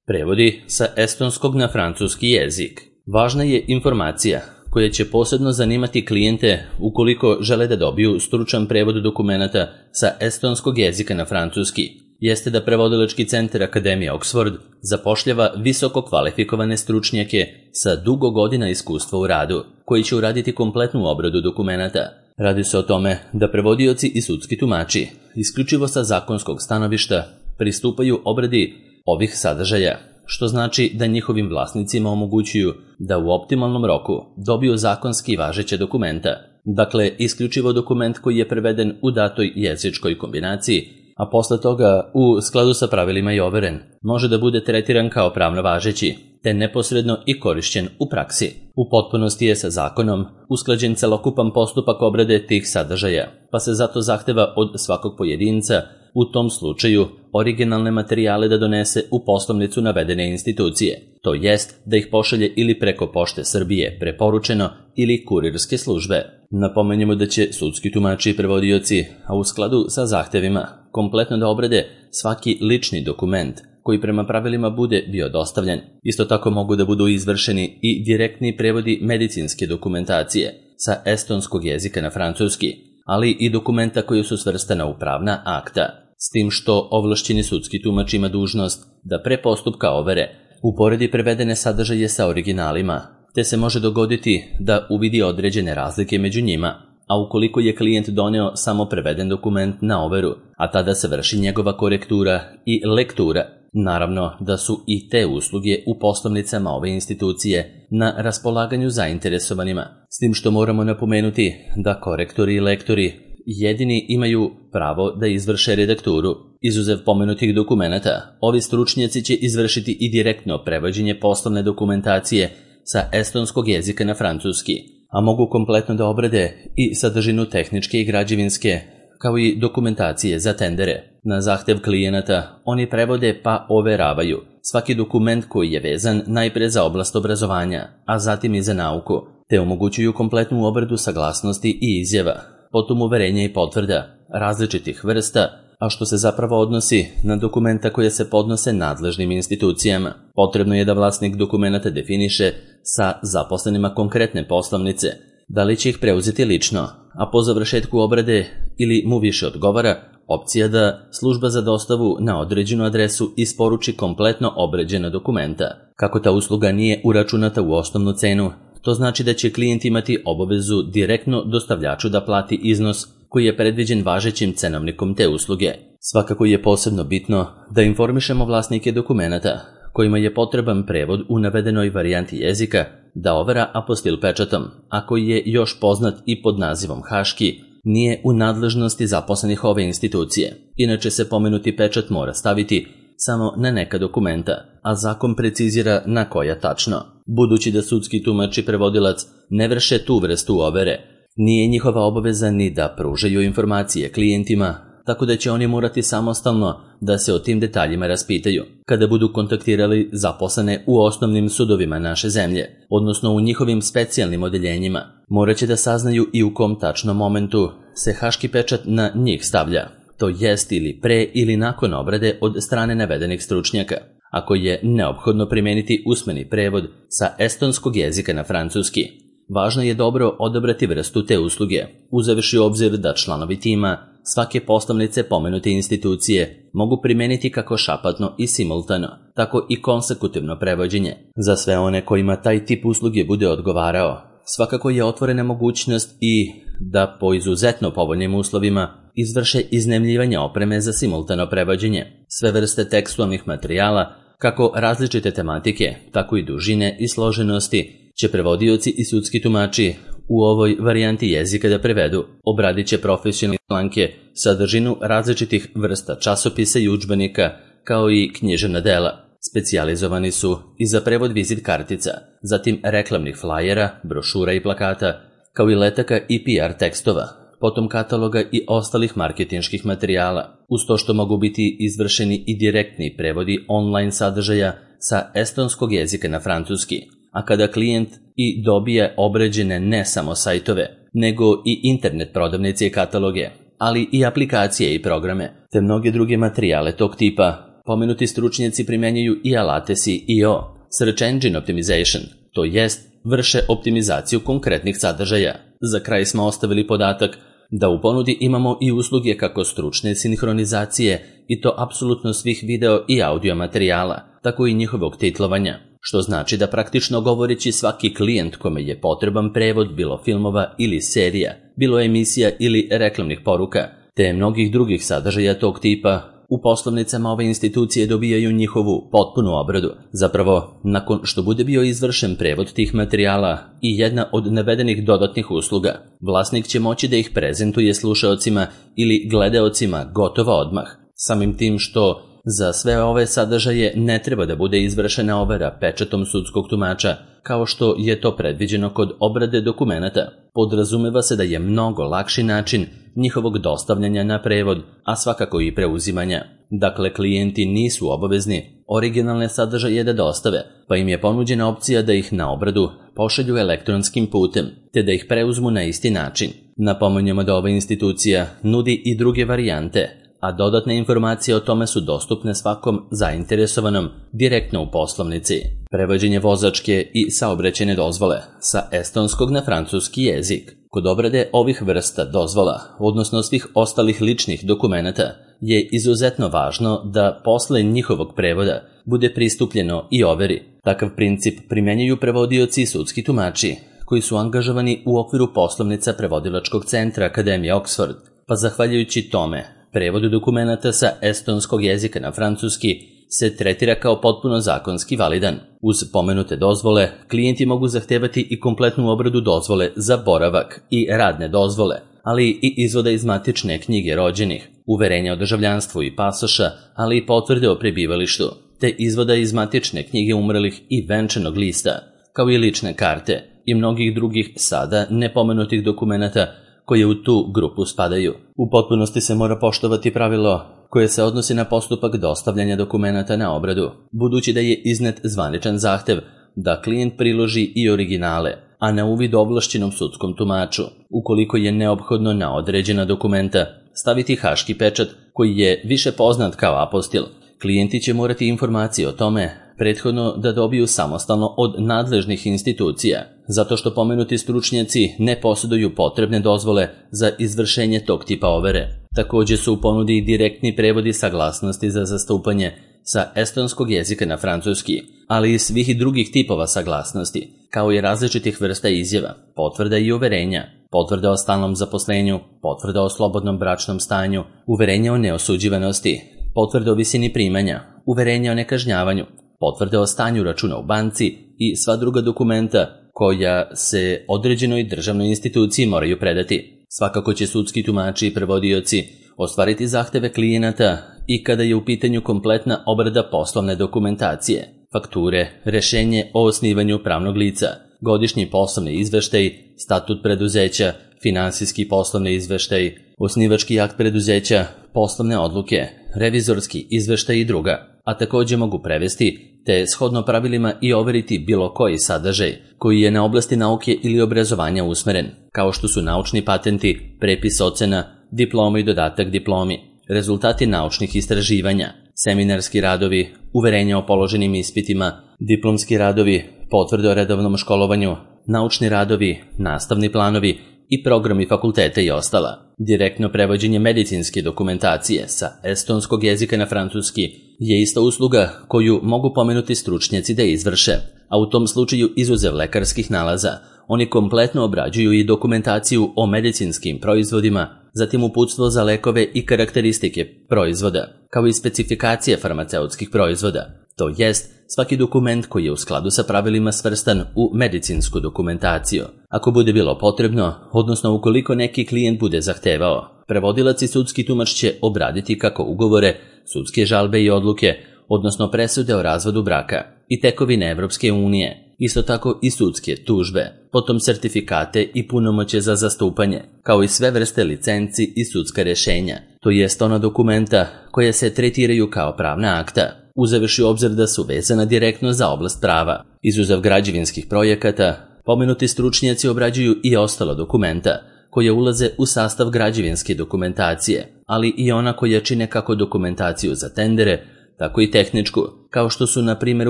Prevodi sa estonskog na francuski jezik. Važna je informacija koja će posebno zanimati klijente ukoliko žele da dobiju stručan prevod dokumenata sa estonskog jezika na francuski. Jeste da Prevodilački centar Akademije Oxford zapošljava visoko kvalifikovane stručnjake sa dugo godina iskustva u radu, koji će uraditi kompletnu obradu dokumenata. Radi se o tome da prevodioci i sudski tumači, isključivo sa zakonskog stanovišta, pristupaju obradi ovih sadržaja, što znači da njihovim vlasnicima omogućuju da u optimalnom roku dobiju zakonski važeće dokumenta, dakle isključivo dokument koji je preveden u datoj jezičkoj kombinaciji, a posle toga, u skladu sa pravilima i overen, može da bude tretiran kao pravno važeći, te neposredno i korišćen u praksi. U potpunosti je sa zakonom usklađen celokupan postupak obrade tih sadržaja, pa se zato zahteva od svakog pojedinca, u tom slučaju, originalne materijale da donese u poslovnicu navedene institucije, to jest da ih pošalje ili preko Pošte Srbije preporučeno ili kurirske službe. Napomenjemo da će sudski tumači i prevodioci, a u skladu sa zahtevima, kompletno da obrade svaki lični dokument koji prema pravilima bude bio dostavljen. Isto tako mogu da budu izvršeni i direktni prevodi medicinske dokumentacije sa estonskog jezika na francuski, ali i dokumenta koji su svrstana u pravna akta, s tim što ovlašćeni sudski tumač ima dužnost da pre postupka overe uporedi prevedene sadržaje sa originalima, te se može dogoditi da uvidi određene razlike među njima, a ukoliko je klijent doneo samo preveden dokument na overu, a tada se vrši njegova korektura i lektura, naravno da su i te usluge u poslovnicama ove institucije na raspolaganju zainteresovanima, s tim što moramo napomenuti da korektori i lektori jedini imaju pravo da izvrše redakturu. Izuzev pomenutih dokumenata, ovi stručnjaci će izvršiti i direktno prevođenje poslovne dokumentacije sa estonskog jezika na francuski, a mogu kompletno da obrade i sadržinu tehničke i građevinske, kao i dokumentacije za tendere. Na zahtev klijenata oni prevode pa overavaju svaki dokument koji je vezan najpre za oblast obrazovanja, a zatim i za nauku, te omogućuju kompletnu obradu saglasnosti i izjava, potom uverenja i potvrda različitih vrsta, a što se zapravo odnosi na dokumenta koje se podnose nadležnim institucijama. Potrebno je da vlasnik dokumenta definiše sa zaposlenima konkretne poslovnice, da li će ih preuzeti lično, a po završetku obrade ili mu više odgovara opcija da služba za dostavu na određenu adresu isporuči kompletno obrađena dokumenta. Kako ta usluga nije uračunata u osnovnu cenu, to znači da će klijent imati obavezu direktno dostavljaču da plati iznos koji je predviđen važećim cenovnikom te usluge. Svakako je posebno bitno da informišemo vlasnike dokumenata kojima je potreban prevod u navedenoj varijanti jezika da overa apostil pečatom, a koji je još poznat i pod nazivom haški, nije u nadležnosti zaposlenih ove institucije. Inače se pomenuti pečat mora staviti samo na neka dokumenta, a zakon precizira na koja tačno. Budući da sudski tumač i prevodilac ne vrše tu vrstu overe, nije njihova obaveza ni da pružaju informacije klijentima, tako da će oni morati samostalno da se o tim detaljima raspitaju kada budu kontaktirali zaposlene u osnovnim sudovima naše zemlje, odnosno u njihovim specijalnim odeljenjima. Morat će da saznaju i u kom tačnom momentu se haški pečat na njih stavlja, to jest ili pre ili nakon obrade od strane navedenih stručnjaka, ako je neophodno primijeniti usmeni prevod sa estonskog jezika na francuski. Važno je dobro odabrati vrstu te usluge, uzevši u obzir da članovi tima svake poslovnice pomenute institucije mogu primijeniti kako šapatno i simultano, tako i konsekutivno prevođenje. Za sve one kojima taj tip usluge bude odgovarao, svakako je otvorena mogućnost i da po izuzetno povoljnim uslovima izvrše iznajmljivanje opreme za simultano prevođenje. Sve vrste tekstualnih materijala, kako različite tematike, tako i dužine i složenosti, će prevodioci i sudski tumači u ovoj varijanti jezika da prevedu. Obradit će profesionalne članke, sadržinu različitih vrsta časopisa i udžbenika, kao i književna dela. Specijalizovani su i za prevod vizit kartica, zatim reklamnih flajera, brošura i plakata, kao i letaka i PR tekstova, potom kataloga i ostalih marketinških materijala, uz to što mogu biti izvršeni i direktni prevodi online sadržaja sa estonskog jezika na francuski. A kada klijent i dobije obrađene ne samo sajtove, nego i internet prodavnice i kataloge, ali i aplikacije i programe, te mnoge druge materijale tog tipa, pomenuti stručnjaci primjenjuju i alate SEO, Search Engine Optimization, to jest vrše optimizaciju konkretnih sadržaja. Za kraj smo ostavili podatak da u ponudi imamo i usluge kako stručne sinhronizacije i to apsolutno svih video i audio materijala, tako i njihovog titlovanja, što znači da praktično govoreći svaki klijent kome je potreban prevod bilo filmova ili serija, bilo emisija ili reklamnih poruka, te mnogih drugih sadržaja tog tipa, u poslovnicama ove institucije dobijaju njihovu potpunu obradu. Zapravo, nakon što bude bio izvršen prevod tih materijala i jedna od navedenih dodatnih usluga, vlasnik će moći da ih prezentuje slušaocima ili gledaocima gotovo odmah. Samim tim što za sve ove sadržaje ne treba da bude izvršena overa pečatom sudskog tumača, kao što je to predviđeno kod obrade dokumenata. Podrazumeva se da je mnogo lakši način njihovog dostavljanja na prevod, a svakako i preuzimanja. Dakle, klijenti nisu obavezni originalne sadržaje da dostave, pa im je ponuđena opcija da ih na obradu pošalju elektronskim putem, te da ih preuzmu na isti način. Napominjemo da ova institucija nudi i druge varijante, a dodatne informacije o tome su dostupne svakom zainteresovanom direktno u poslovnici. Prevođenje vozačke i saobraćajne dozvole sa estonskog na francuski jezik. Kod obrade ovih vrsta dozvola, odnosno svih ostalih ličnih dokumenata, je izuzetno važno da posle njihovog prevoda bude pristupljeno i overi. Takav princip primjenjuju prevodioci i sudski tumači, koji su angažovani u okviru poslovnica prevodilačkog centra Akademije Oxford, pa zahvaljujući tome, prevod dokumenata sa estonskog jezika na francuski se tretira kao potpuno zakonski validan. Uz pomenute dozvole, klijenti mogu zahtevati i kompletnu obradu dozvole za boravak i radne dozvole, ali i izvoda iz matične knjige rođenih, uverenja o državljanstvu i pasoša, ali i potvrde o prebivalištu, te izvoda iz matične knjige umrlih i venčanog lista, kao i lične karte i mnogih drugih sada nepomenutih dokumenata koje u tu grupu spadaju. U potpunosti se mora poštovati pravilo koje se odnosi na postupak dostavljanja dokumenata na obradu, budući da je iznet zvaničan zahtev da klijent priloži i originale, a na uvid ovlašćenom sudskom tumaču, ukoliko je neophodno na određena dokumenta staviti haški pečat koji je više poznat kao apostil. Klijenti će morati informacije o tome prethodno da dobiju samostalno od nadležnih institucija, zato što pomenuti stručnjaci ne posjeduju potrebne dozvole za izvršenje tog tipa overe. Također su u ponudi i direktni prevodi saglasnosti za zastupanje sa estonskog jezika na francuski, ali i svih drugih tipova saglasnosti, kao i različitih vrsta izjava, potvrda i uverenja, potvrda o stalnom zaposlenju, potvrda o slobodnom bračnom stanju, uverenja o neosuđivanosti, potvrde o visini primanja, uverenja o nekažnjavanju, potvrde o stanju računa u banci i sva druga dokumenta koja se određenoj državnoj instituciji moraju predati. Svakako će sudski tumači i prevodioci ostvariti zahteve klijenata i kada je u pitanju kompletna obrada poslovne dokumentacije, fakture, rešenje o osnivanju pravnog lica, godišnji poslovni izveštaj, statut preduzeća, finansijski poslovni izveštaj, osnivački akt preduzeća, poslovne odluke, revizorski izveštaj i druga, a također mogu prevesti te shodno pravilima i overiti bilo koji sadržaj koji je na oblasti nauke ili obrazovanja usmeren, kao što su naučni patenti, prepis ocena, diploma i dodatak diplomi, rezultati naučnih istraživanja, seminarski radovi, uverenja o položenim ispitima, diplomski radovi, potvrde o redovnom školovanju, naučni radovi, nastavni planovi i programi fakulteta i ostala. Direktno prevođenje medicinske dokumentacije sa estonskog jezika na francuski je ista usluga koju mogu pomenuti stručnjaci da izvrše, a u tom slučaju izuzev lekarskih nalaza, oni kompletno obrađuju i dokumentaciju o medicinskim proizvodima, zatim uputstvo za lekove i karakteristike proizvoda, kao i specifikacije farmaceutskih proizvoda. To jest, svaki dokument koji je u skladu sa pravilima svrstan u medicinsku dokumentaciju. Ako bude bilo potrebno, odnosno ukoliko neki klijent bude zahtevao, prevodilac i sudski tumač će obraditi kako ugovore, sudske žalbe i odluke, odnosno presude o razvodu braka i tekovine Evropske unije, isto tako i sudske tužbe, potom sertifikate i punomoćje za zastupanje, kao i sve vrste licenci i sudska rješenja, to jest ona dokumenta koje se tretiraju kao pravna akta, uzevši u obzir da su vezana direktno za oblast prava. Izuzev građevinskih projekata, pomenuti stručnjaci obrađuju i ostala dokumenta koje ulaze u sastav građevinske dokumentacije, ali i ona koja čine kako dokumentaciju za tendere, tako i tehničku, kao što su na primjer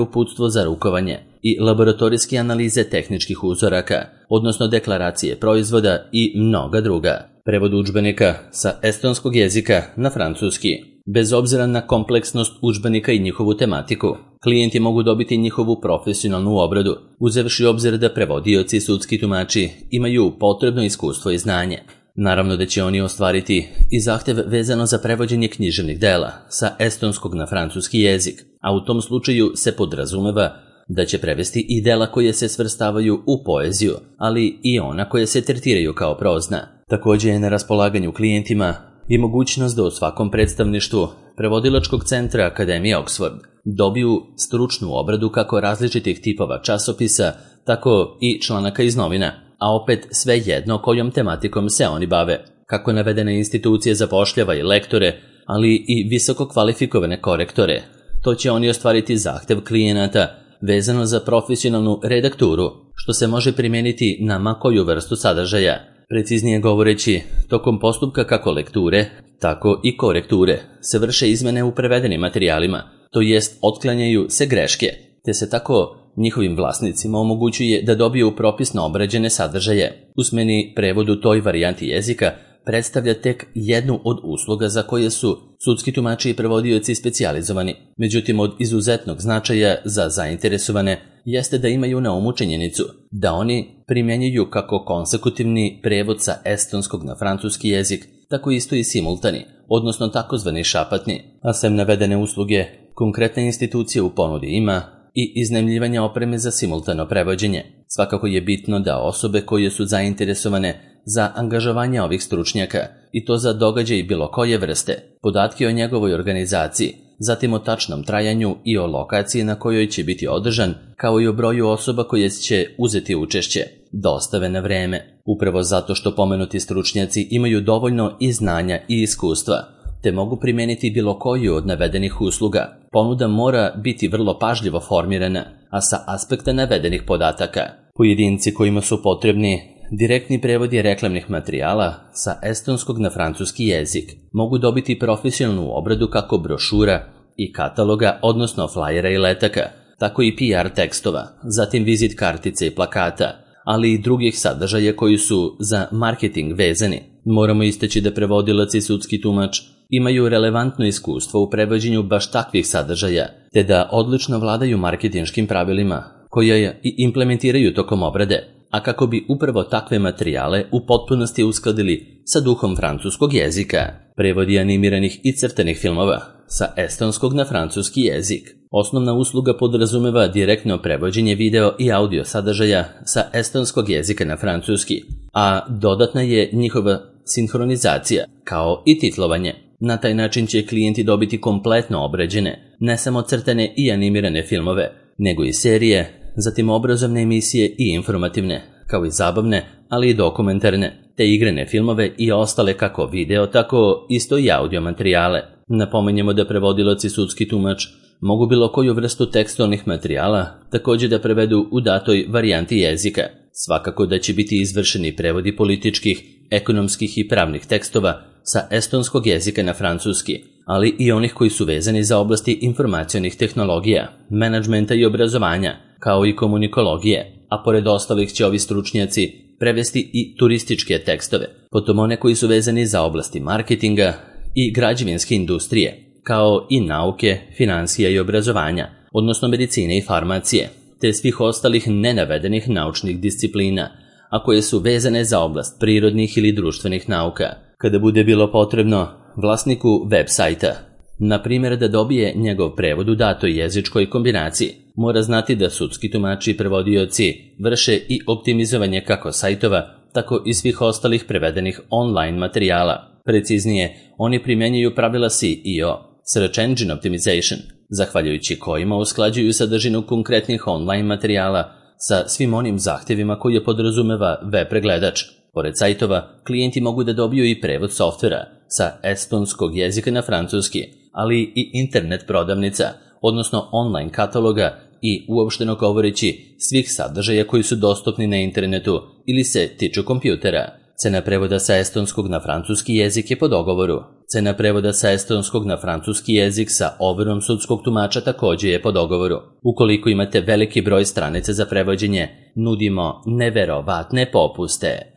uputstvo za rukovanje i laboratorijske analize tehničkih uzoraka, odnosno deklaracije proizvoda i mnoga druga. Prevod udžbenika sa estonskog jezika na francuski. Bez obzira na kompleksnost udžbenika i njihovu tematiku, klijenti mogu dobiti njihovu profesionalnu obradu, uzevši obzir da prevodioci i sudski tumači imaju potrebno iskustvo i znanje. Naravno da će oni ostvariti i zahtev vezano za prevođenje književnih dela sa estonskog na francuski jezik, a u tom slučaju se podrazumeva da će prevesti i dela koje se svrstavaju u poeziju, ali i ona koje se tretiraju kao prozna. Također je na raspolaganju klijentima i mogućnost da u svakom predstavništvu prevodilačkog centra Akademije Oxford dobiju stručnu obradu kako različitih tipova časopisa, tako i članaka iz novina, a opet sve jedno kojom tematikom se oni bave. Kako navedene institucije zapošljava i lektore, ali i visoko kvalifikovane korektore, to će oni ostvariti zahtev klijenata vezano za profesionalnu redakturu, što se može primijeniti na ma koju vrstu sadržaja. Preciznije govoreći, tokom postupka kako lekture, tako i korekture se vrše izmene u prevedenim materijalima, to jest otklanjaju se greške, te se tako njihovim vlasnicima omogućuje da dobiju propisno obrađene sadržaje. Usmeni prevod u toj varijanti jezika predstavlja tek jednu od usluga za koje su sudski tumači i prevodioci specijalizovani. Međutim, od izuzetnog značaja za zainteresovane jeste da imaju na umu činjenicu da oni primjenjuju kako konsekutivni prevod sa estonskog na francuski jezik, tako isto i simultani, odnosno takozvani šapatni. A sem navedene usluge, konkretna institucija u ponudi ima i iznajmljivanja opreme za simultano prevođenje. Svakako je bitno da osobe koje su zainteresovane za angažovanje ovih stručnjaka, i to za događaj bilo koje vrste, podatke o njegovoj organizaciji, zatim o tačnom trajanju i o lokaciji na kojoj će biti održan, kao i o broju osoba koje će uzeti učešće, dostave na vreme. Upravo zato što pomenuti stručnjaci imaju dovoljno i znanja i iskustva, te mogu primijeniti bilo koju od navedenih usluga. Ponuda mora biti vrlo pažljivo formirana, a sa aspekta navedenih podataka. Pojedinci kojima su potrebni direktni prevodi reklamnih materijala sa estonskog na francuski jezik mogu dobiti profesionalnu obradu kako brošura i kataloga, odnosno flajera i letaka, tako i PR tekstova, zatim vizit kartice i plakata, ali i drugih sadržaja koji su za marketing vezani. Moramo istaći da prevodilac i sudski tumač imaju relevantno iskustvo u prevođenju baš takvih sadržaja, te da odlično vladaju marketinškim pravilima koje i implementiraju tokom obrade, a kako bi upravo takve materijale u potpunosti uskladili sa duhom francuskog jezika. Prevodi animiranih i crtanih filmova sa estonskog na francuski jezik. Osnovna usluga podrazumeva direktno prevođenje video i audio sadržaja sa estonskog jezika na francuski, a dodatna je njihova sinhronizacija, kao i titlovanje. Na taj način će klijenti dobiti kompletno obrađene, ne samo crtane i animirane filmove, nego i serije, zatim obrazovne emisije i informativne, kao i zabavne, ali i dokumentarne, te igrane filmove i ostale kako video, tako isto i audio materijale. Napominjemo da prevodilac i sudski tumač mogu bilo koju vrstu tekstualnih materijala također da prevedu u datoj varijanti jezika. Svakako da će biti izvršeni prevodi političkih, ekonomskih i pravnih tekstova sa estonskog jezika na francuski, ali i onih koji su vezani za oblasti informacionih tehnologija, menadžmenta i obrazovanja, kao i komunikologije, a pored ostalih će ovi stručnjaci prevesti i turističke tekstove, potom one koji su vezani za oblasti marketinga i građevinske industrije, kao i nauke, financija i obrazovanja, odnosno medicine i farmacije, te svih ostalih nenavedenih naučnih disciplina, a koje su vezane za oblast prirodnih ili društvenih nauka. Kada bude bilo potrebno vlasniku web sajta, na primjer da dobije njegov prevod u datoj jezičkoj kombinaciji, mora znati da sudski tumači i prevodioci vrše i optimizovanje kako sajtova, tako i svih ostalih prevedenih online materijala. Preciznije, oni primjenjuju pravila SEO, Search Engine Optimization, zahvaljujući kojima usklađuju sadržinu konkretnih online materijala sa svim onim zahtjevima koje podrazumeva web pregledač. Pored sajtova, klijenti mogu da dobiju i prevod softvera sa estonskog jezika na francuski, ali i internet prodavnica, odnosno online kataloga i uopšteno govoreći svih sadržaja koji su dostupni na internetu ili se tiču kompjutera. Cena prevoda sa estonskog na francuski jezik je po dogovoru. Cena prevoda sa estonskog na francuski jezik sa overom sudskog tumača također je po dogovoru. Ukoliko imate veliki broj stranica za prevođenje, nudimo neverovatne popuste.